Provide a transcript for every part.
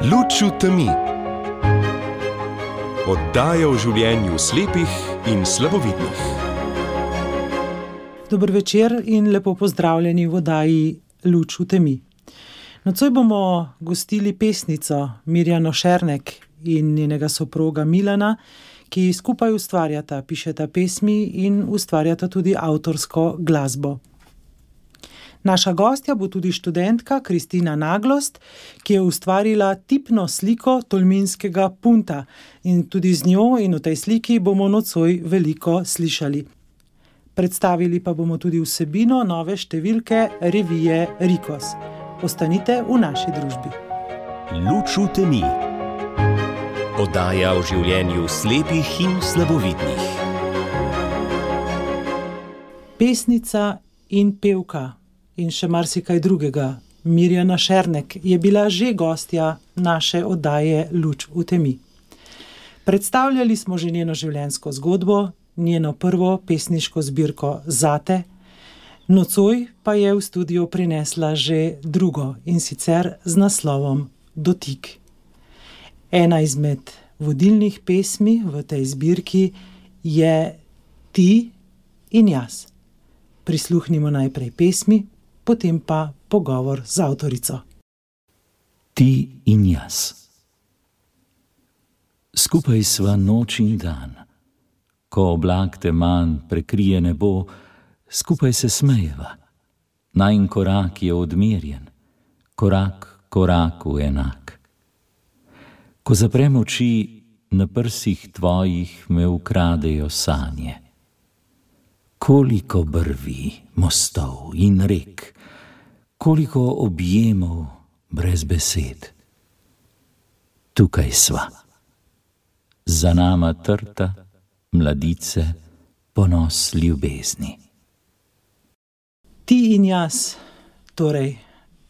Luč v temi. Oddaja o življenju slepih in slabovidnih. Dober večer in lepo pozdravljeni v oddaji Luč v temi. Nocoj bomo gostili pesnico Mirjano Šernek in njenega soproga Milana, ki skupaj ustvarjata, pišeta pesmi in ustvarjata tudi avtorsko glasbo. Naša gostja bo tudi študentka Kristina Naglost, ki je ustvarila tipno sliko tolminskega punta in tudi z njo in v tej sliki bomo nocoj veliko slišali. Predstavili pa bomo tudi vsebino nove številke revije Rikos. Ostanite v naši družbi. Luč v temi. Oddaja o življenju slepih in slabovidnih. Pesnica in pevka in še marsikaj drugega, Mirjana Šernek, je bila že gostja naše oddaje Luč v temi. Predstavljali smo že njeno življenjsko zgodbo, njeno prvo pesniško zbirko Zate, nocoj pa je v studio prinesla že drugo, in sicer z naslovom Dotik. Ena izmed vodilnih pesmi v tej zbirki je Ti in jaz. Prisluhnimo najprej pesmi, potem pa pogovor z avtorico. Ti in jaz. Skupaj sva noč in dan. Ko oblak teman prekrije nebo, skupaj se smejeva. Najin korak je odmerjen, korak koraku enak. Ko zaprem oči, na prsih tvojih me ukradejo sanje. Koliko brvi, mostov in rek, koliko objemov brez besed. Tukaj sva. Za nama trta, mladice, ponos ljubezni. Ti in jaz, torej,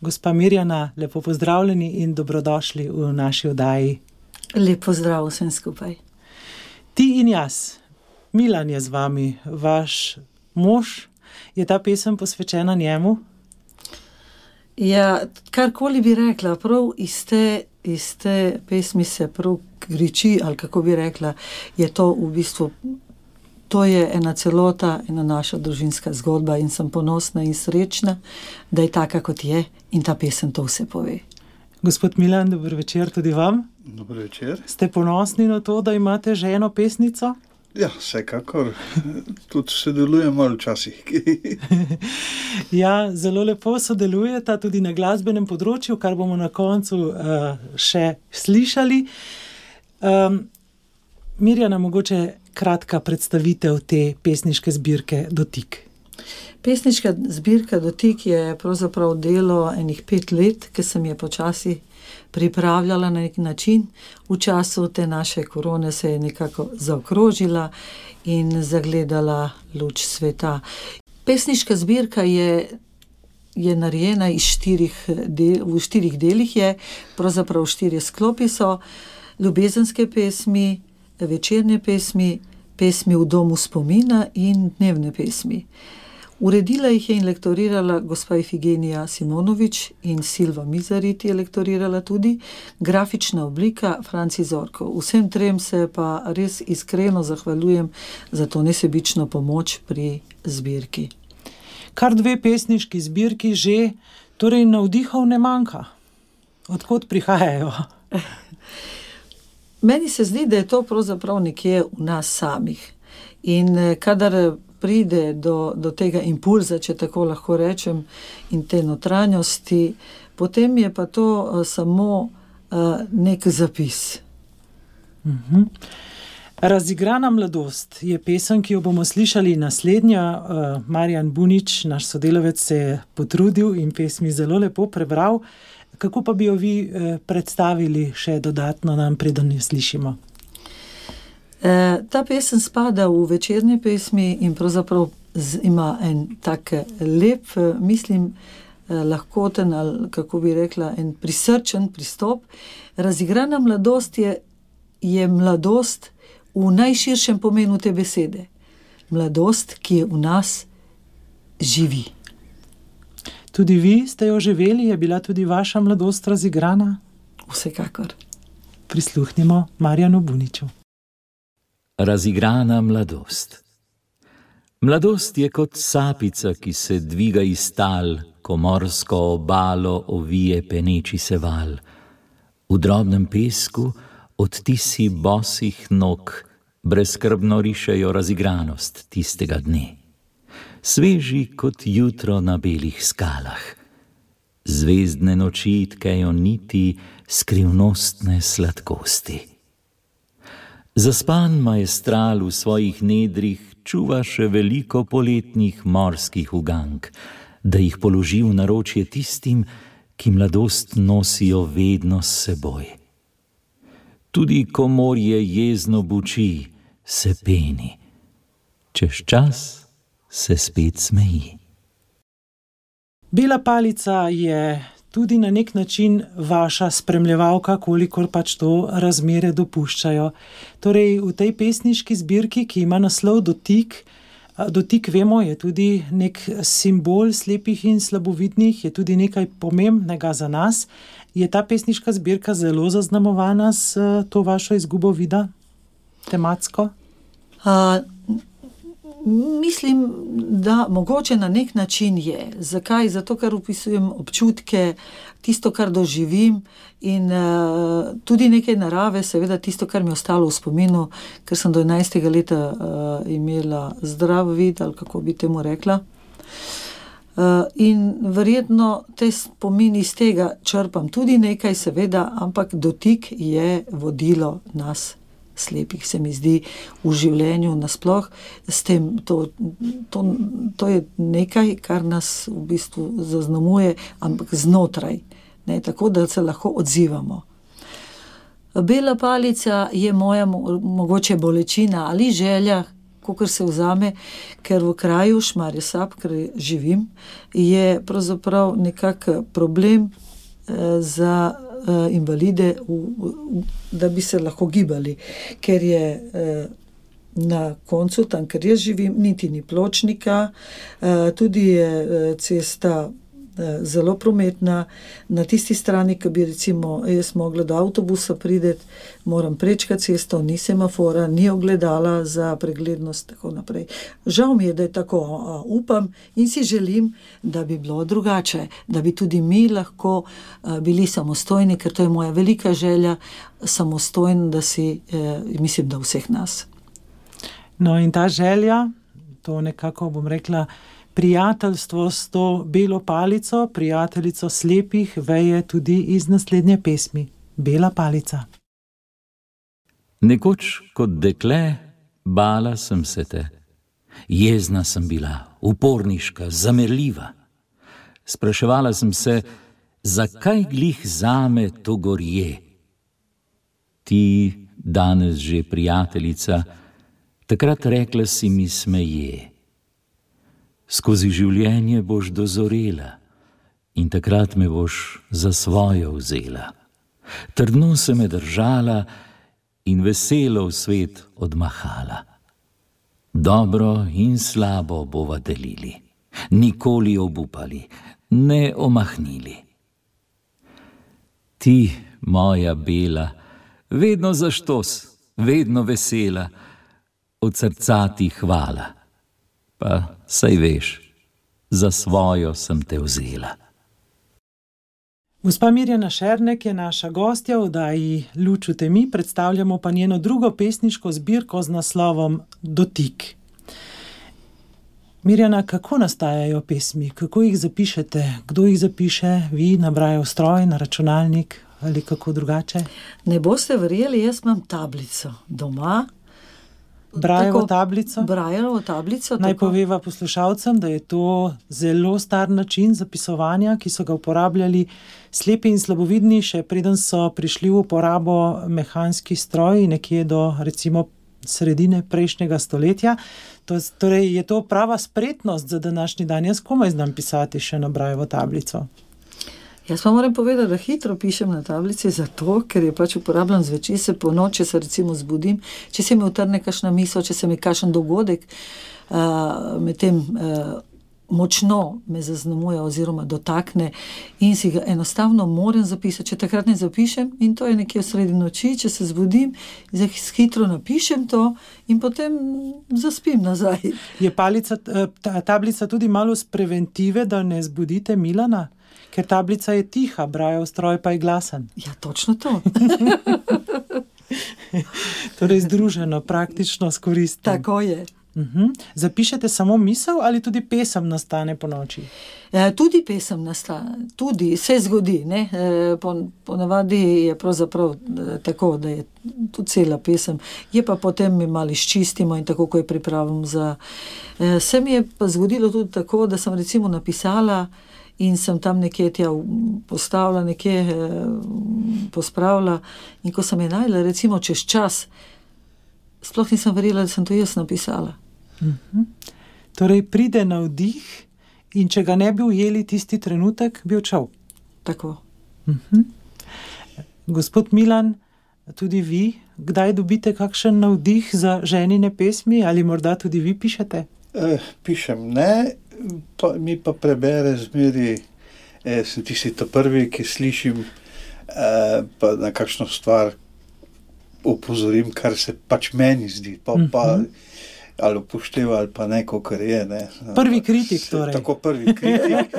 gospa Mirjana, lepo pozdravljeni in dobrodošli v naši oddaji. Lep pozdrav vsem skupaj. Ti in jaz. Milan je z vami, vaš mož. Je ta pesem posvečena njemu? Ja, karkoli bi rekla, prav iz te pesmi se prav kriči, ali kako bi rekla, je to v bistvu, to je ena celota, ena naša družinska zgodba in sem ponosna in srečna, da je taka, kot je, in ta pesem to vse pove. Gospod Milan, dober večer tudi vam. Dober večer. Ste ponosni na to, da imate ženo pesnico? Ja, vsekakor. Tudi sodelujem malo včasih. Ja, zelo lepo sodelujeta tudi na glasbenem področju, kar bomo na koncu še slišali. Mirjana, mogoče kratka predstavitev te pesniške zbirke Dotik. Pesniška zbirka Dotik je pravzaprav delo enih 5 let, ki sem je počasi pripravljala na nek način. V času te naše korone se je nekako zaokrožila in zagledala luč sveta. Pesniška zbirka je narejena v 4 delih je, pravzaprav 4 sklopi so: ljubezenske pesmi, večerne pesmi, pesmi v domu spomina in dnevne pesmi. Uredila jih je in lektorirala gospa Ifigenija Simonovič in Silva Mizarit je lektorirala tudi, grafična oblika Franci Zorko. Vsem trem se pa res iskreno zahvaljujem za to nesebično pomoč pri zbirki. Kar 2 pesniški zbirki že, torej navdihov ne manjka. Odkot prihajajo? Meni se zdi, da je to pravzaprav nekje v nas samih. In kadar pride do tega impulza, če tako lahko rečem, in te notranjosti, potem je pa to samo nek zapis. Razigrana mladost je pesem, ki jo bomo slišali naslednja. Marjan Bunič, naš sodelavec, se je potrudil in pesmi zelo lepo prebral. Kako pa bi jo vi predstavili še dodatno nam, preden jo slišimo? Ta pesem spada v večerne pesmi in pravzaprav ima en tak lep, mislim, lahkoten, ali kako bi rekla, en prisrčen pristop. Razigrana mladost je mladost v najširšem pomenu te besede. Mladost, ki je v nas živi. Tudi vi ste jo živeli, je bila tudi vaša mladost razigrana? vsekakor. Prisluhnimo Marjanu Buniču. Razigrana mladost. Mladost je kot sapica, ki se dviga iz tal, ko morsko obalo ovije peneči se val. V drobnem pesku odtisi bosih nog brezskrbno rišejo razigranost tistega dne. Sveži kot jutro na belih skalah. Zvezdne noči tkejo niti skrivnostne sladkosti. Zaspan maestral v svojih nedrih čuva še veliko poletnih morskih ugank, da jih položi v naročje tistim, ki mladost nosijo vedno s seboj. Tudi ko morje jezno buči, se peni, čez čas se spet smeji. Bela palica je tudi na nek način vaša spremljevalka, kolikor pač to razmere dopuščajo. Torej, v tej pesniški zbirki, ki ima naslov Dotik, dotik, vemo, je tudi nek simbol slepih in slabovidnih, je tudi nekaj pomembnega za nas. Je ta pesniška zbirka zelo zaznamovana s to vašo izgubo vida, tematsko? Mislim, da mogoče na nek način je. Zakaj? Zato, ker opisujem občutke, tisto, kar doživim in tudi nekaj narave, seveda tisto, kar mi je ostalo v spominu, ker sem do 11. leta imela zdrav vid, ali kako bi temu rekla. In verjetno te spomini iz tega črpam tudi nekaj, seveda, ampak dotik je vodilo nas slepih, se mi zdi, v življenju nasploh. S tem, to je nekaj, kar nas v bistvu zaznamuje, ampak znotraj, ne, tako da se lahko odzivamo. Bela palica je moja mogoče bolečina ali želja, kakor se vzame, ker v kraju Šmarje Sap, ker živim, je pravzaprav nekak problem za invalide, da bi se lahko gibali, ker je na koncu, tam, ker jaz živim, niti ni pločnika, tudi je cesta zelo prometna. Na tisti strani, ki bi recimo jaz mogla do avtobusa prideti, moram prečkati cesto, ni semafora, ni ogledala za preglednost, tako naprej. Žal mi je, da je tako, upam in si želim, da bi bilo drugače, da bi tudi mi lahko bili samostojni, ker to je moja velika želja, samostojni, da si, mislim, da vseh nas. No in ta želja, to nekako bom rekla, prijateljstvo s to belo palico, prijateljico slepih, veje tudi iz naslednje pesmi. Bela palica. Nekoč kot dekle bala sem se te. Jezna sem bila, uporniška, zamerljiva. Spraševala sem se, zakaj glih zame to gorje. Ti, danes že prijateljica, takrat rekla si mi smeje. Skozi življenje boš dozorela in takrat me boš za svojo vzela. Trdno se me držala in veselo v svet odmahala. Dobro in slabo bova delili, nikoli obupali, ne omahnili. Ti, moja bela, vedno zaštos, vedno vesela, od srca ti hvala. Pa saj veš, za svojo sem te vzela. Gospa Mirjana Šernek je naša gostja v oddaji Luč v temi, predstavljamo pa njeno drugo pesniško zbirko z naslovom Dotik. Mirjana, kako nastajajo pesmi? Kako jih zapišete? Kdo jih zapiše? Vi nabrajo stroj, na računalnik ali kako drugače? Ne boste verjeli, jaz imam tablico doma. Brajevo tablico. Brajevo tablico. Naj poveva poslušalcem, da je to zelo star način zapisovanja, ki so ga uporabljali slepi in slabovidni, še preden so prišli v uporabo mehanski stroji, nekje do recimo sredine prejšnjega stoletja. Torej je to prava spretnost za današnji dan. Jaz komaj znam pisati še na brajevo tablico. Jaz pa moram povedati, da hitro pišem na tablici zato, ker je pač uporabljam zvečer, se po noči se recimo zbudim, če se mi utrne kakšna misel, če se mi kakšen dogodek med tem močno me zaznamuje oziroma dotakne in si ga enostavno moram zapisati. Če takrat ne zapišem, in to je nekje v sredi noči, če se zbudim, hitro napišem to in potem zaspim nazaj. Je tablica tudi malo z preventive, da ne zbudite Milana? Ker tablica je tiha, Brajev stroj pa je glasen. Ja, točno to. Torej združeno, praktično s koristnim. Tako je. Zapišete samo misel ali tudi pesem nastane po noči? Tudi pesem nastane, tudi se zgodi. Ne? Ponavadi je pravzaprav tako, da je tudi cela pesem. Je pa potem mi malo izčistimo in tako, ko je pripravim za... Se mi je pa zgodilo tudi tako, da sem recimo napisala in sem tam nekje postavila, nekje pospravila in ko sem je najdela recimo čez čas, sploh nisem verjela, da sem to jaz napisala. Torej pride navdih in če ga ne bi ujeli tisti trenutek, bi odšel. Tako. Gospod Milan, tudi vi, kdaj dobite kakšen navdih za ženine pesmi ali morda tudi vi pišete? Pišem ne, mi pa prebere zmeri, sem tisti prvi, ki slišim, pa na kakšno stvar opozorim, kar se pač meni zdi, pa ali upošteva, ali pa ne, kakor je. Ne. Prvi kritik torej. Tako prvi kritik,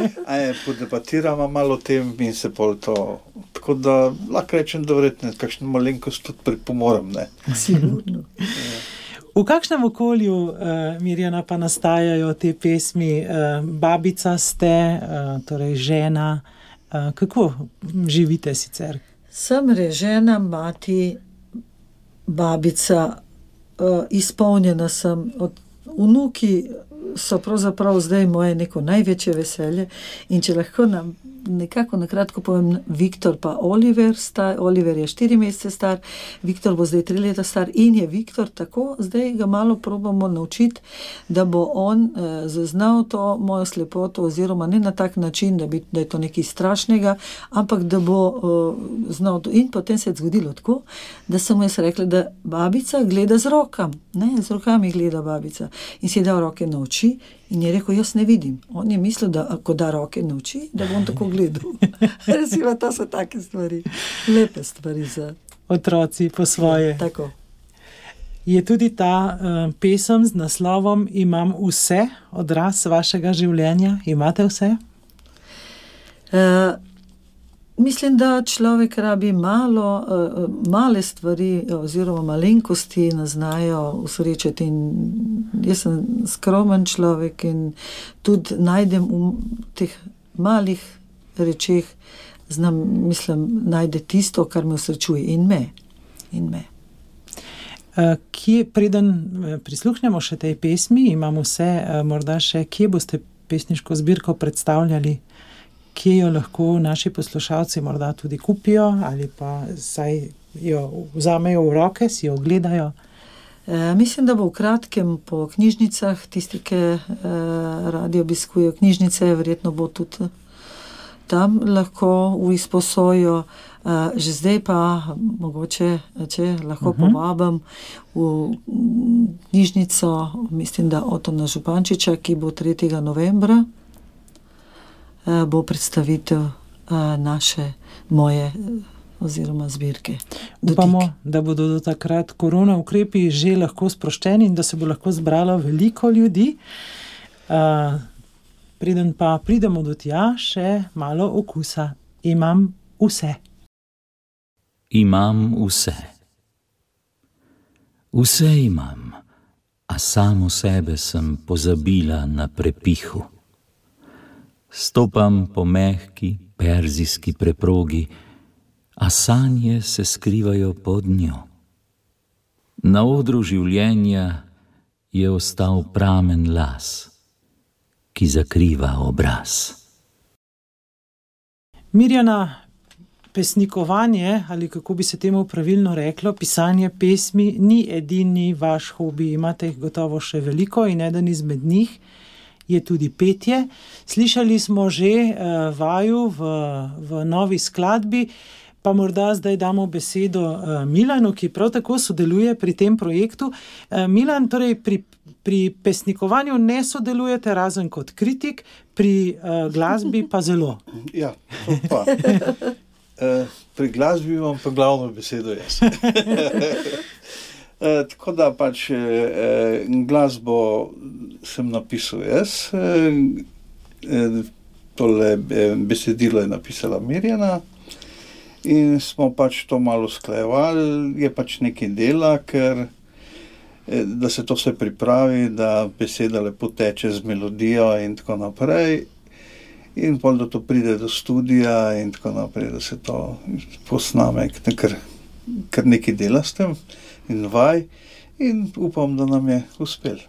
podebatiramo malo o tem in se pol to, tako da lahko rečem, da verjetno kakšno malenkost tudi pripomorem. Sigurno. V kakšnem okolju, Mirjana, pa nastajajo te pesmi? Babica ste, torej žena. Kako živite sicer? Sem žena, mati, babica, izpolnjena sem. Vnuki so pravzaprav zdaj moje neko največje veselje in če lahko nam nekako na kratko povem, Viktor pa Oliver je 4 mesece star, Viktor bo zdaj 3 leta star in je Viktor tako, zdaj ga malo probamo naučiti, da bo on zaznal to mojo slepoto oziroma ne na tak način, da je to nekaj strašnega, ampak da bo znal to. In potem se je zgodilo tako, da sem mu jaz rekla, da babica gleda z rokami gleda babica in si je dal roke na oči in je rekel, jaz ne vidim. On je mislil, da ako da roke na oči, da bom tako gledal. Resimo, to so take stvari, lepe stvari za... Otroci po svoje. Tako. Je tudi ta pesem z naslovom Imam vse, odraz vašega življenja? Imate vse? Mislim, da človek rabi male stvari oziroma malenkosti naznajo usrečiti in jaz sem skromen človek in tudi najdem v teh malih rečeh, najde tisto, kar me usrečuje in me. Preden prisluhnemo še tej pesmi, Imam vse, morda še, kje boste pesniško zbirko predstavljali? Kje jo lahko naši poslušalci morda tudi kupijo ali pa saj jo vzamejo v roke, si jo ogledajo? Mislim, da bo v kratkem po knjižnicah, tisti, ki radi obiskujejo knjižnice, verjetno bo tudi tam lahko v izposojo. Že zdaj pa mogoče, če lahko povabim v knjižnico, mislim, da Otona Župančiča, ki bo 3. novembra, bo predstavitev moje oziroma zbirke. Upamo, da bodo do takrat korona ukrepi že lahko sproščeni in da se bo lahko zbralo veliko ljudi. Preden pa pridemo do tja, še malo okusa. Imam vse. Imam vse. Vse imam, a samo sebe sem pozabila na prepihu. Stopam po mehki, perzijski preprogi, a sanje se skrivajo pod njo. Na odru življenja je ostal pramen las, ki zakriva obraz. Mirjana, pesnikovanje, ali kako bi se temu pravilno reklo, pisanje pesmi, ni edini vaš hobi. Imate jih gotovo še veliko in eden izmed njih je tudi petje. Slišali smo že vaju v novi skladbi, pa morda zdaj damo besedo Milanu, ki prav tako sodeluje pri tem projektu. Milan, torej pri pesnikovanju ne sodelujete razen kot kritik, pri glasbi pa zelo. Ja, to pa. Pri glasbi imam pa glavno besedo jaz. Tako da pač glasbo sem napisal jaz, tole besedilo je napisala Mirjana in smo pač to malo usklajevali, je pač nekaj dela, ker da se to vse pripravi, da beseda lepo teče z melodijo in tako naprej. In pol, da to pride do studia in tako naprej, da se to posname, ker nekaj dela s tem in vaj in upam, da nam je uspel.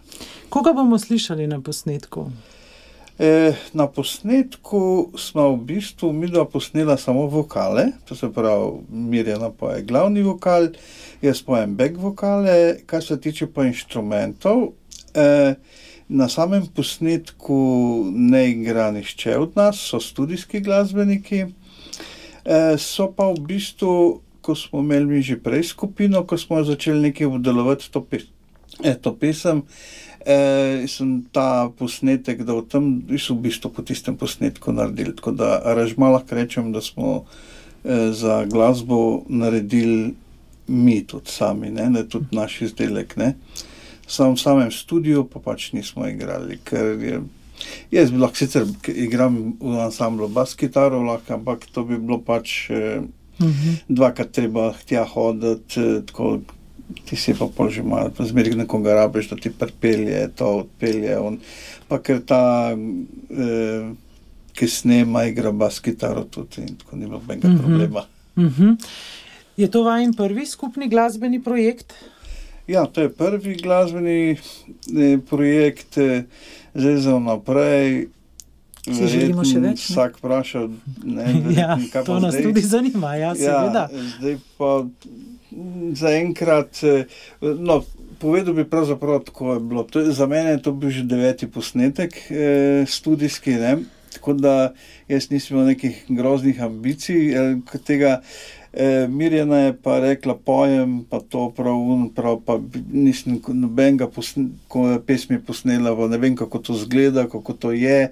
Koga bomo slišali na posnetku? Na posnetku smo v bistvu midva posnela samo vokale, to se pravi Mirjana poje glavni vokal, jaz pojem back vokale, kar se tiče pa inštrumentov. Na samem posnetku ne igra nihče od nas, so studijski glasbeniki, so pa v bistvu, ko smo imeli mi že prej skupino, ko smo začeli nekaj obdelovati to pesem, sem ta posnetek dal tam, v bistvu po tistem posnetku naredili, tako da aranžma lahko rečem, da smo za glasbo naredili mi tudi sami, ne tudi naš izdelek, ne. V samem studiu pa pač nismo igrali, ker jaz bi lahko sicer igram v ansamblu bas kitaro, ampak to bi bilo pač dvakrat treba tja hoditi, tako ti si pa pol že malo, zmeri nekoga rabiš, da ti pripelje, to odpelje, pa ker ta, ki snema, igra bas kitaro tudi in tako ni bilo benga problema. Je to vajin prvi skupni glasbeni projekt? Ja, to je prvi glasbeni projekt, zdaj za naprej. Si želimo še več? Vsak vprašal, ja, to nas tudi zanima, ja, seveda. Ja, zdaj pa zaenkrat, povedal bi pravzaprav tako je bilo. Za mene je to bil že 9. posnetek studijski, ne? Tako da jaz nisem imel nekih groznih ambicij, tega Mirjana je pa rekla, pojem pa to prav, pa nisem nobenega pesmi posnela, pa ne vem, kako to zgleda, kako to je.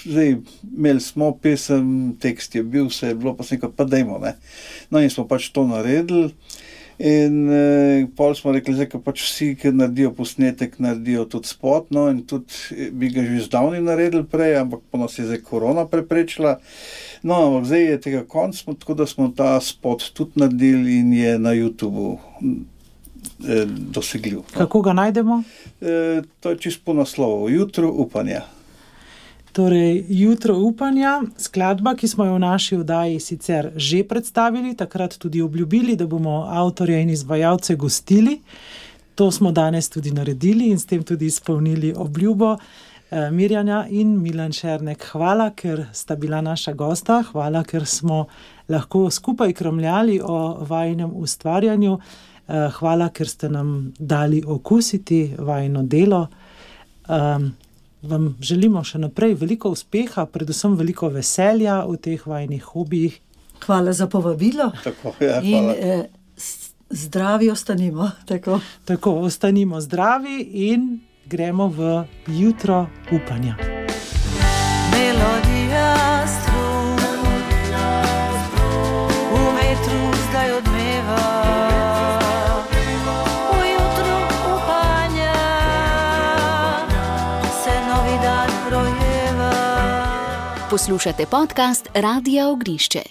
Zdaj, imeli smo pesem, tekst je bil, vse je bilo, pa sem rekel, pa dajmo, ne. No in smo pač to naredili in pol smo rekli, zdaj, ko pač vsi, ki naredijo posnetek, naredijo tudi spot, no in tudi bi ga že zdavni naredili prej, ampak pa nas je zdaj korona preprečila. No, ampak zdaj je tega konc, tako da smo ta spot tudi naredili in je na YouTubeu dosegljiv. No. Kako ga najdemo? To je čisto po naslovu, Jutro upanja. Torej, Jutro upanja, skladba, ki smo jo v naši oddaji sicer že predstavili, takrat tudi obljubili, da bomo avtorje in izvajalce gostili. To smo danes tudi naredili in s tem tudi izpolnili obljubo. Mirjana in Milan Šernek, hvala, ker sta bila naša gosta, hvala, ker smo lahko skupaj kromljali o vajinem ustvarjanju, hvala, ker ste nam dali okusiti vajino delo. Vam želimo še naprej veliko uspeha, predvsem veliko veselja v teh vajinih hobijih. Hvala za povabilo. Tako, ja, hvala. In zdravi ostanimo. Tako, ostanimo zdravi in gremo v Jutro upanja. Melodija strun, v vetru zdaj odmeva, v jutru upanja se novi dan rojeva. Poslušate podcast Radia Ognišče.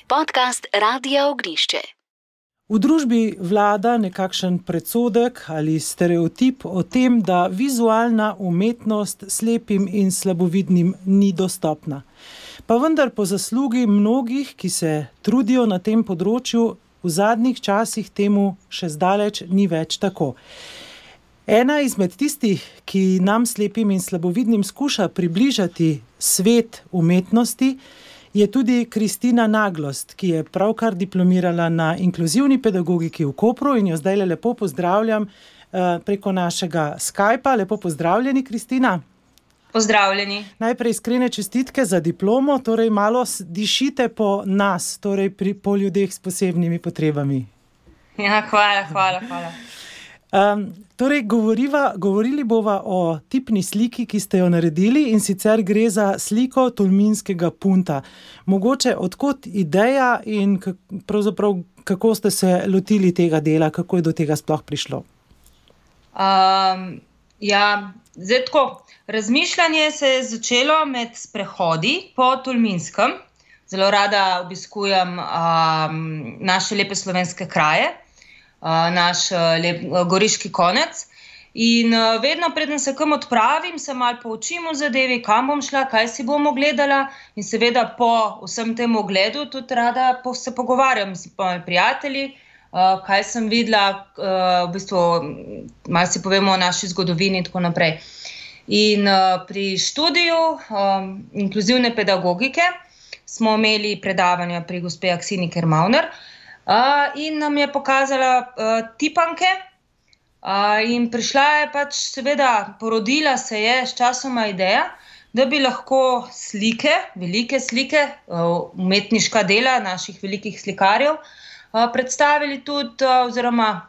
V družbi vlada nekakšen predsodek ali stereotip o tem, da vizualna umetnost slepim in slabovidnim ni dostopna. Pa vendar po zaslugi mnogih, ki se trudijo na tem področju, v zadnjih časih temu še zdaleč ni več tako. Ena izmed tistih, ki nam slepim in slabovidnim skuša približati svet umetnosti, je tudi Kristina Naglost, ki je pravkar diplomirala na inkluzivni pedagogiki v Kopru in jo zdaj lepo pozdravljam preko našega Skypa. Lepo pozdravljeni, Kristina. Pozdravljeni. Najprej iskrene čestitke za diplomo, torej malo dišite po nas, torej po ljudeh s posebnimi potrebami. Ja, hvala. Torej, govorili bova o tipni sliki, ki ste jo naredili, in sicer gre za sliko tolminskega punta. Mogoče odkot ideja in pravzaprav kako ste se lotili tega dela, kako je do tega sploh prišlo? Zdaj tako, razmišljanje se je začelo med sprehodi po Tolminskem. Zelo rada obiskujem naše lepe slovenske kraje, naš lep goriški konec. In vedno, preden se kam odpravim, se malo poučim o zadevi, kam bom šla, kaj si bom ogledala. In seveda po vsem tem ogledu tudi rada se pogovarjam s mojimi prijatelji, kaj sem videla, v bistvu malo si povemo o naši zgodovini in tako naprej. In pri študiju inkluzivne pedagogike smo imeli predavanja pri gospe Aksini Kermauner in nam je pokazala tipanke in prišla je pač seveda, porodila se je s časoma ideja, da bi lahko slike, velike slike, umetniška dela naših velikih slikarjev predstavili tudi oziroma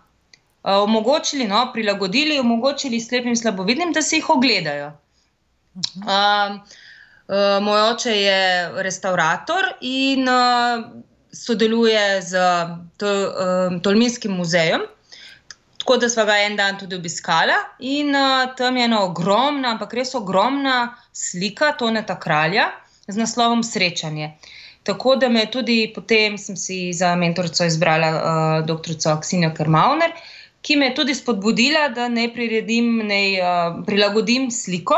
omogočili, prilagodili, omogočili slepim slabovidnim, da si jih ogledajo. Moj oče je restavrator in sodeluje z Tolminskim muzejem, tako da sva ga en dan tudi obiskala in tam je ena ogromna, ampak res ogromna slika Toneta Kralja z naslovom Srečanje. Tako da me tudi potem sem si za mentorico izbrala doktorico Aksinijo Kermauner, ki me je tudi spodbudila, da naj prilagodim sliko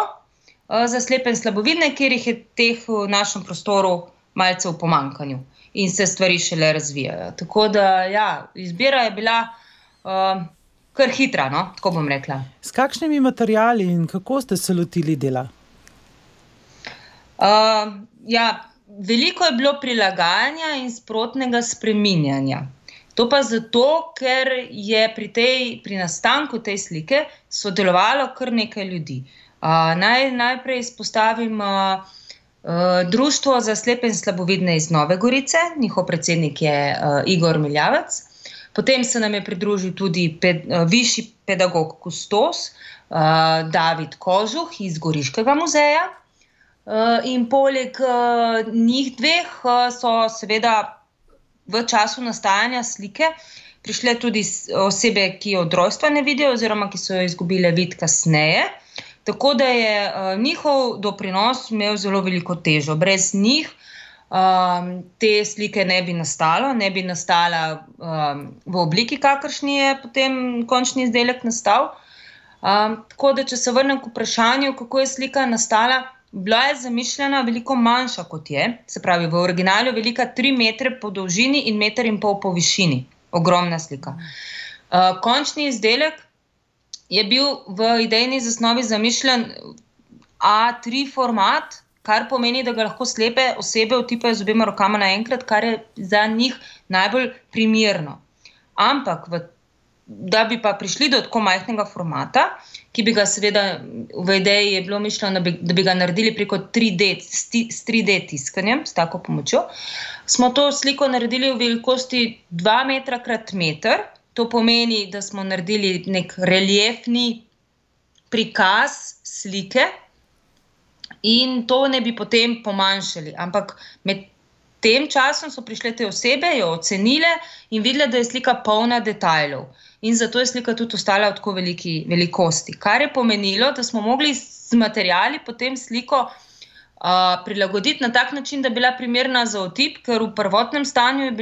za slepe in slabovidne, ker jih je teh v našem prostoru malce v pomanjkanju in se stvari šele razvijajo. Tako da, izbira je bila kar hitra, tako bom rekla. S kakšnimi materiali in kako ste se lotili dela? Veliko je bilo prilagajanja in sprotnega spreminjanja. To pa zato, ker je pri nastanku te slike sodelovalo kar nekaj ljudi. Najprej izpostavim Društvo za slepe in slabovidne iz Nove Gorice, njihov predsednik je Igor Miljavec. Potem se nam je pridružil tudi višji pedagog kustos David Kožuh iz Goriškega muzeja. In poleg njih dveh so seveda v času nastajanja slike prišle tudi osebe, ki od rojstva ne vidijo oziroma ki so jo izgubile vid kasneje. Tako da je njihov doprinos imel zelo veliko težo. Brez njih te slike ne bi nastala v obliki, kakršni je potem končni izdelek nastal. Tako da, če se vrnem k vprašanju, kako je slika nastala, bila je zamišljena veliko manjša kot je, se pravi v originalu velika 3 metre po dolžini in 1,5 metra po višini. Ogromna slika. Končni izdelek je bil v idejni zasnovi zamišljen A3 format, kar pomeni, da ga lahko slepe osebe otipajo z obema rokama naenkrat, kar je za njih najbolj primerno. Ampak, da bi pa prišli do tako majhnega formata, ki bi ga seveda v ideji je bilo mišljeno, da bi ga naredili preko 3D tiskanjem, s tako pomočjo, smo to sliko naredili v velikosti 2 metra krat meter. To pomeni, da smo naredili nek reliefni prikaz slike in to ne bi potem pomanjšali. Ampak med tem časom so prišle te osebe, jo ocenile in videle, da je slika polna detajlov. In zato je slika tudi ostala v tako veliki velikosti. Kar je pomenilo, da smo mogli z materiali potem sliko prilagoditi na tak način, da je bila primerna za otip, ker v prvotnem stanju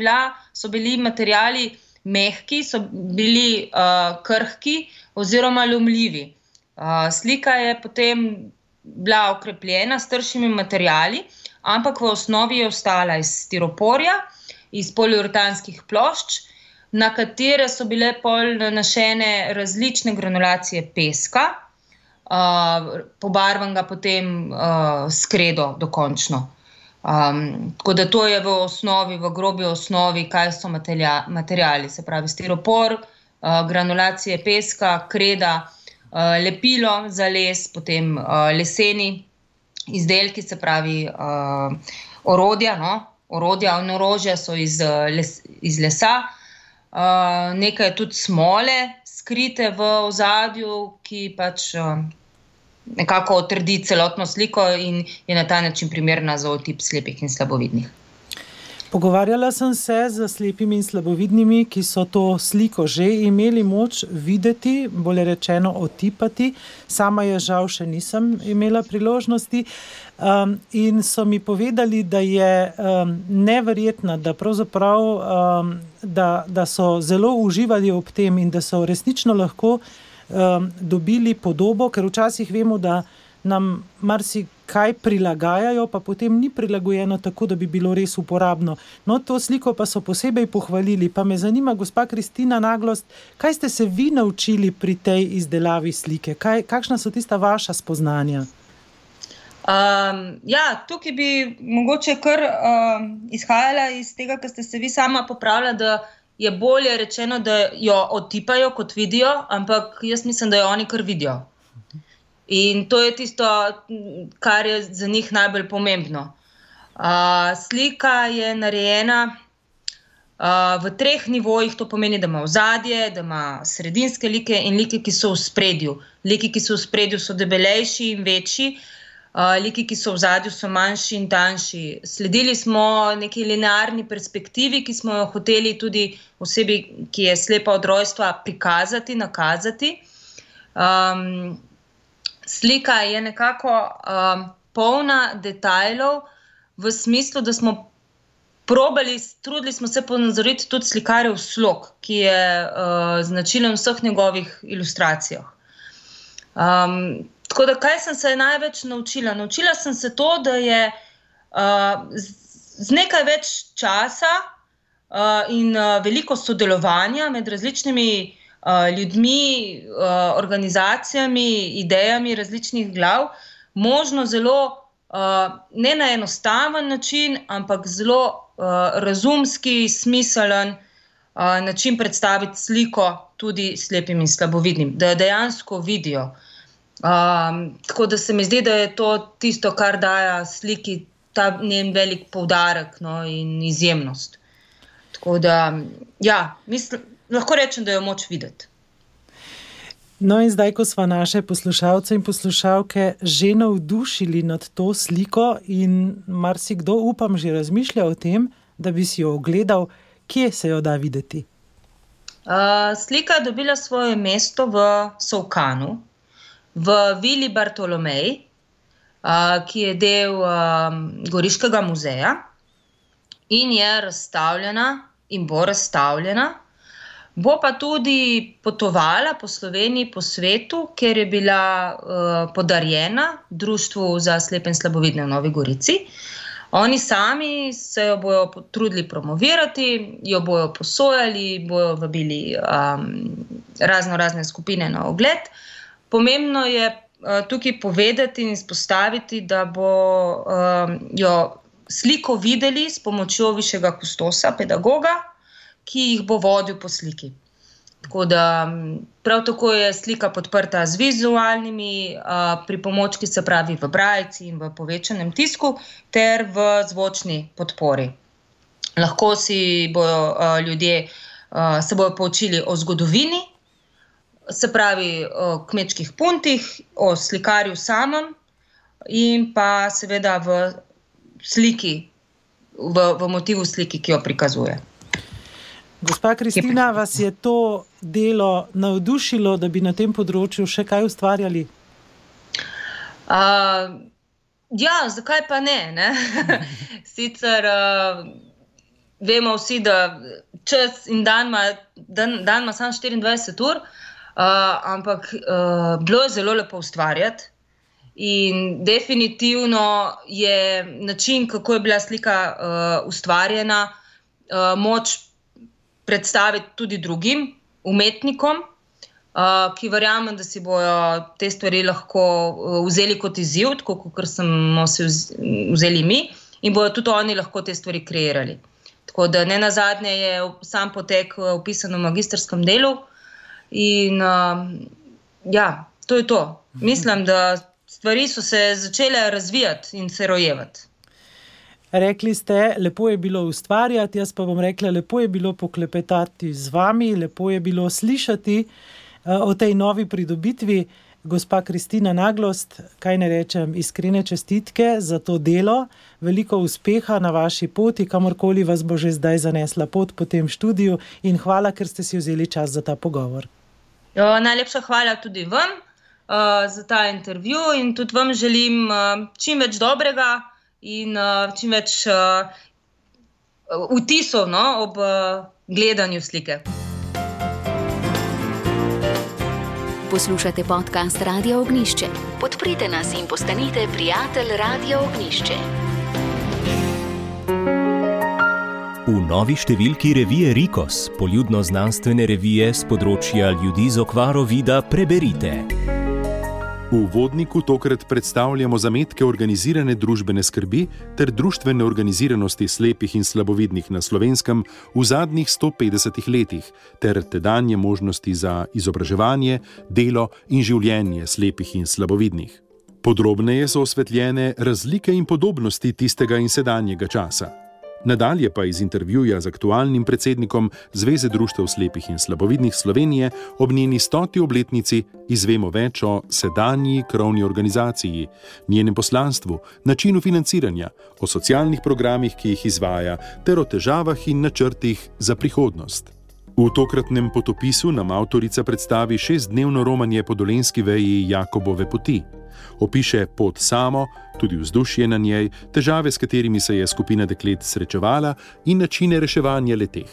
so bili materiali mehki, so bili krhki oziroma lomljivi. Slika je potem bila okrepljena s tršimi materiali, ampak v osnovi je ostala iz stiroporja, iz poliuretanskih plošč, na katere so bile pol nanašene različne granulacije peska, pobarvanega potem s kredo dokončno. Tako da to je v grobi osnovi, kaj so materiali, se pravi stiropor, granulacije peska, kreda, lepilo za les, potem leseni izdelki, se pravi orodja in orožja so iz lesa, nekaj tudi smole skrite v ozadju, ki pač nekako otrdi celotno sliko in je na ta način primerna za otip slepih in slabovidnih. Pogovarjala sem se z slepimi in slabovidnimi, ki so to sliko že imeli moč videti, bolje rečeno otipati. Sama je žal še nisem imela priložnosti. In so mi povedali, da je neverjetna, da pravzaprav da so zelo uživali ob tem in da so resnično lahko dobili podobo, ker včasih vemo, da nam marsikaj prilagajajo, pa potem ni prilagojeno tako, da bi bilo res uporabno. No, to sliko pa so posebej pohvalili. Pa me zanima, gospa Kristina Naglost, kaj ste se vi naučili pri tej izdelavi slike? Kakšna so tista vaša spoznanja? Tukaj bi mogoče kar izhajala iz tega, kar ste se vi sama popravila, da je bolje rečeno, da jo otipajo, kot vidijo, ampak jaz mislim, da jo oni kar vidijo. In to je tisto, kar je za njih najbolj pomembno. Slika je narejena v 3 nivojih, to pomeni, da ima ozadje, da ima sredinske like in like, ki so v spredju. Liki, ki so v spredju, so debelejši in večji, liki, ki so v ozadju, so manjši in tanjši. Sledili smo neki linearni perspektivi, ki smo jo hoteli tudi osebi, ki je slepa od rojstva, prikazati, nakazati. Slika je nekako polna detajlov v smislu, da smo trudili smo se ponazoriti tudi slikarjev slog, ki je značilen v vseh njegovih ilustracijah. Tako da, kaj sem se največ naučila? Naučila sem se to, da je z nekaj več časa in veliko sodelovanja med različnimi ljudmi, organizacijami, idejami različnih glav, možno zelo ne na enostaven način, ampak zelo razumski, smiselen način predstaviti sliko tudi slepim in slabovidnim, da jo dejansko vidijo. Tako da se mi zdi, da je to tisto, kar daje sliki ta njen velik poudarek, no, in izjemnost. Tako da, lahko rečem, da jo moč videti. No in zdaj, ko sva naše poslušalce in poslušalke že navdušili nad to sliko in marsikdo, upam, že razmišlja o tem, da bi si jo ogledal, kje se jo da videti? Slika je dobila svoje mesto v Solkanu, v Vili Bartolomej, ki je del Goriškega muzeja in je razstavljena in bo razstavljena. Bo pa tudi potovala po Sloveniji, po svetu, ker je bila podarjena Društvu za slepe in slabovidne v Novi Gorici. Oni sami se jo bojo trudili promovirati, jo bojo posojali, bojo vabili razne skupine na ogled. Pomembno je tukaj povedati in izpostaviti, da bo jo sliko videli s pomočjo višjega kustosa, pedagoga, ki jih bo vodil po sliki. Tako da prav tako je slika podprta z vizualnimi pripomočki, se pravi v brajci in v povečanem tisku, ter v zvočni podpori. Lahko si bojo ljudje se bojo poučili o zgodovini, se pravi o kmečkih puntih, o slikarju samem in pa seveda v sliki, v motivu sliki, ki jo prikazuje. Gospa Kristina, vas je to delo navdušilo, da bi na tem področju še kaj ustvarjali? Zakaj pa ne? Sicer vemo vsi, da čas in dan ima samo 24 ur, ampak bilo je zelo lepo ustvarjati in definitivno je način, kako je bila slika ustvarjena, moč predstaviti tudi drugim umetnikom, ki verjamem, da si bojo te stvari lahko vzeli kot izziv, tako kot smo si vzeli mi, in bojo tudi oni lahko te stvari kreirali. Tako da nenazadnje je sam potek opisan v magistrskem delu in to je to. Mislim, da stvari so se začele razvijati in se rojevati. Rekli ste, lepo je bilo ustvarjati, jaz pa bom rekla, lepo je bilo poklepetati z vami, lepo je bilo slišati o tej novi pridobitvi. Gospa Kristina Naglost, kaj ne rečem, iskrene čestitke za to delo, veliko uspeha na vaši poti, kamorkoli vas bo že zdaj zanesla pot po tem študiju in hvala, ker ste si vzeli čas za ta pogovor. Najlepša hvala tudi vam za ta intervju in tudi vam želim čim več dobrega in čim več vtisov ob gledanju slike. Poslušate podcast Radia Ognjišče. Podprite nas in postanite prijatelj Radia Ognjišče. V novi številki revije Rikos, poljudno-znanstvene revije z področja ljudi z okvaro vida, preberite. V uvodniku tokrat predstavljamo zametke organizirane družbene skrbi ter društvene organiziranosti slepih in slabovidnih na Slovenskem v zadnjih 150 letih ter tedanje možnosti za izobraževanje, delo in življenje slepih in slabovidnih. Podrobneje so osvetljene razlike in podobnosti tistega in sedanjega časa. Nadalje pa iz intervjuja z aktualnim predsednikom Zveze društev slepih in slabovidnih Slovenije ob njeni 100. obletnici izvemo več o sedanji krovni organizaciji, njenem poslanstvu, načinu financiranja, o socialnih programih, ki jih izvaja, ter o težavah in načrtih za prihodnost. V tokratnem potopisu nam avtorica predstavi 6-dnevno romanje po dolenjski veji Jakobove poti. Opiše pot samo, tudi vzdušje na njej, težave, s katerimi se je skupina deklet srečevala in načine reševanja le-teh,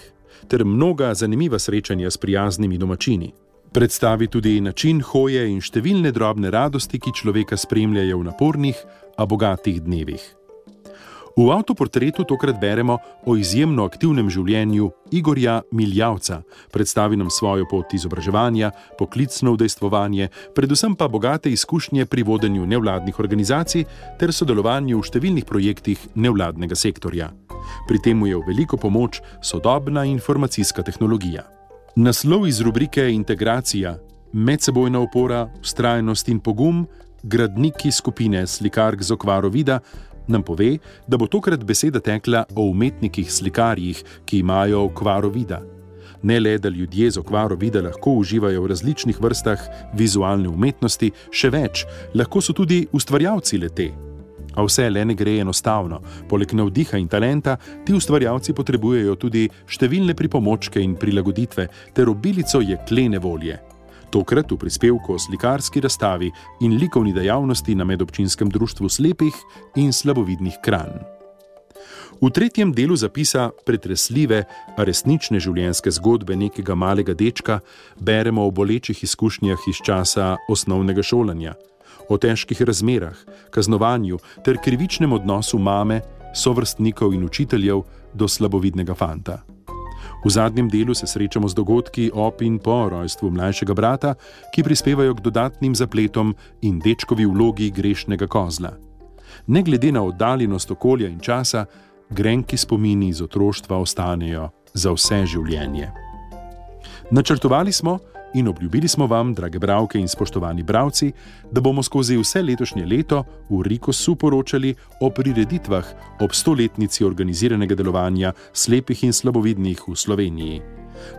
ter mnoga zanimiva srečanja s prijaznimi domačini. Predstavi tudi način hoje in številne drobne radosti, ki človeka spremljajo v napornih, a bogatih dnevih. V avtoportretu tokrat beremo o izjemno aktivnem življenju Igorja Miljavca, predstavi nam svojo pot izobraževanja, poklicno udejstvovanje, predvsem pa bogate izkušnje pri vodenju nevladnih organizacij ter sodelovanju v številnih projektih nevladnega sektorja. Pri tem mu je v veliko pomoč sodobna informacijska tehnologija. Naslov iz rubrike Integracija, medsebojna opora, vztrajnost in pogum, gradniki skupine slikark z okvaro vida, nam pove, da bo tokrat beseda tekla o umetnikih slikarjih, ki imajo okvaro vida. Ne le, da ljudje z okvaro vida lahko uživajo v različnih vrstah vizualne umetnosti, še več, lahko so tudi ustvarjalci le-te. A vse le ne gre enostavno. Poleg navdiha in talenta, ti ustvarjalci potrebujejo tudi številne pripomočke in prilagoditve ter obilico jeklene volje. Tokrat v prispevku o slikarski razstavi in likovni dejavnosti na medobčinskem društvu slepih in slabovidnih Kranj. V tretjem delu zapisa pretresljive, a resnične življenjske zgodbe nekega malega dečka beremo o bolečih izkušnjah iz časa osnovnega šolanja, o težkih razmerah, kaznovanju ter krivičnem odnosu mame, sovrstnikov in učiteljev do slabovidnega fanta. V zadnjem delu se srečamo z dogodki ob in po rojstvu mlajšega brata, ki prispevajo k dodatnim zapletom in dečkovi vlogi grešnega kozla. Ne glede na oddaljenost okolja in časa, grenki spomini iz otroštva ostanejo za vse življenje. Načrtovali smo in obljubili smo vam, drage bralke in spoštovani bralci, da bomo skozi vse letošnje leto v Rikosu poročali o prireditvah ob 100-letnici organiziranega delovanja slepih in slabovidnih v Sloveniji.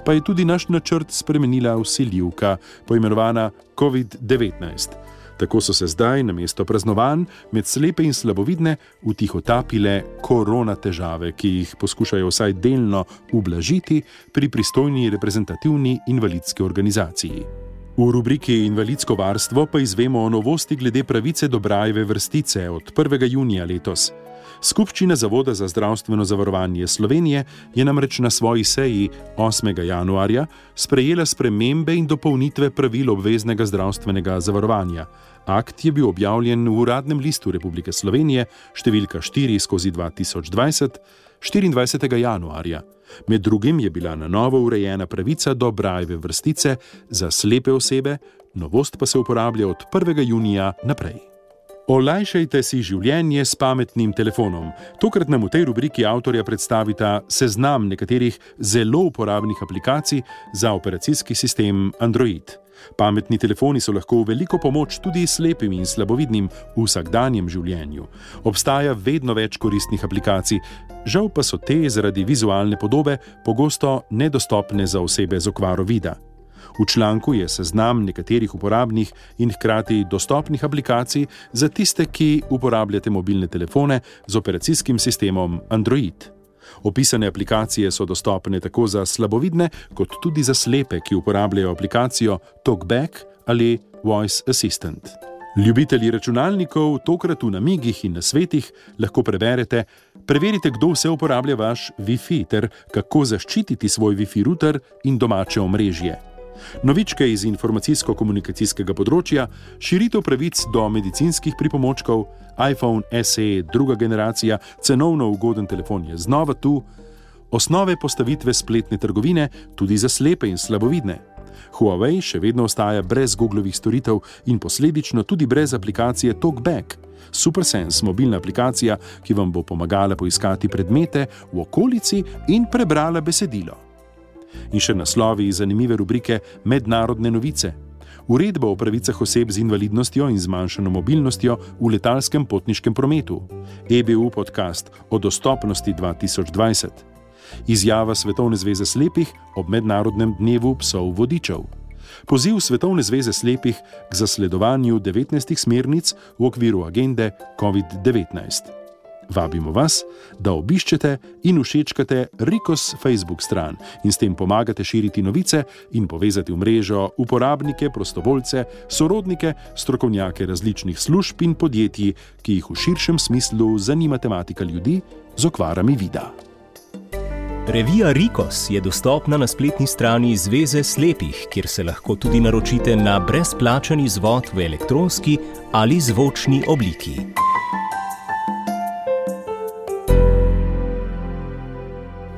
Pa je tudi naš načrt spremenila vsiljivka, poimenovana COVID-19. Tako so se zdaj namesto praznovanj med slepe in slabovidne vtihotapile korona težave, ki jih poskušajo vsaj delno ublažiti pri pristojni reprezentativni invalidski organizaciji. V rubriki Invalidsko varstvo pa izvemo o novosti glede pravice do Brailleve vrstice od 1. junija letos. Skupščina Zavoda za zdravstveno zavarovanje Slovenije je namreč na svoji seji 8. januarja sprejela spremembe in dopolnitve pravil obveznega zdravstvenega zavarovanja. Akt je bil objavljen v Uradnem listu Republike Slovenije, številka 4/2020, 24. januarja. Med drugim je bila na novo urejena pravica do Brailleve vrstice za slepe osebe, novost pa se uporablja od 1. junija naprej. Olajšajte si življenje s pametnim telefonom. Tokrat nam v tej rubriki avtorja predstavita seznam nekaterih zelo uporabnih aplikacij za operacijski sistem Android. Pametni telefoni so lahko v veliko pomoč tudi slepim in slabovidnim v vsakdanjem življenju. Obstaja vedno več koristnih aplikacij, žal pa so te zaradi vizualne podobe pogosto nedostopne za osebe z okvaro vida. V članku je seznam nekaterih uporabnih in hkrati dostopnih aplikacij za tiste, ki uporabljate mobilne telefone z operacijskim sistemom Android. Opisane aplikacije so dostopne tako za slabovidne, kot tudi za slepe, ki uporabljajo aplikacijo TalkBack ali Voice Assistant. Ljubitelji računalnikov tokrat v namigih in nasvetih lahko preverite: preverite, kdo vse uporablja vaš Wi-Fi ter kako zaščititi svoj Wi-Fi router in domače omrežje. Novičke iz informacijsko-komunikacijskega področja, širitev pravic do medicinskih pripomočkov, iPhone SE druga generacija, cenovno ugoden telefon je znova tu, osnove postavitve spletne trgovine tudi za slepe in slabovidne. Huawei še vedno ostaja brez Googlovih storitev in posledično tudi brez aplikacije TalkBack, SuperSense mobilna aplikacija, ki vam bo pomagala poiskati predmete v okolici in prebrala besedilo. In še naslovi iz zanimive rubrike Mednarodne novice. Uredba o pravicah oseb z invalidnostjo in zmanjšano mobilnostjo v letalskem potniškem prometu. EBU podcast o dostopnosti 2020. Izjava Svetovne zveze slepih ob Mednarodnem dnevu psov vodičev. Poziv Svetovne zveze slepih k zasledovanju 19 smernic v okviru agende COVID-19. Vabimo vas, da obiščete in všečkate Rikos Facebook stran in s tem pomagate širiti novice in povezati v mrežo uporabnike, prostovoljce, sorodnike, strokovnjake različnih služb in podjetij, ki jih v širšem smislu zanima tematika ljudi z okvarami vida. Revija Rikos je dostopna na spletni strani Zveze slepih, kjer se lahko tudi naročite na brezplačen izvod v elektronski ali zvočni obliki.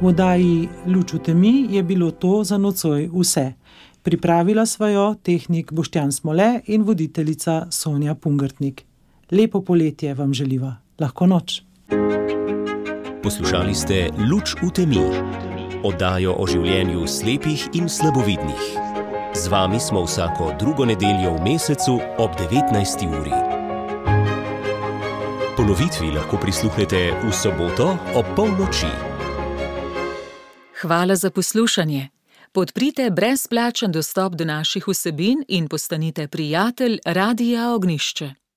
V oddaji Luč v temi je bilo to za nocoj vse. Pripravila sva jo tehnik Boštjan Smole in voditeljica Sonja Pungartnik. Lepo poletje vam želiva. Lahko noč. Poslušali ste Luč v temi, oddajo o življenju slepih in slabovidnih. Z vami smo vsako drugo nedeljo v mesecu ob 19. uri. Ponovitvi lahko prisluhnete v soboto ob polnoči. Hvala za poslušanje. Podprite brezplačen dostop do naših vsebin in postanite prijatelj Radia Ognišče.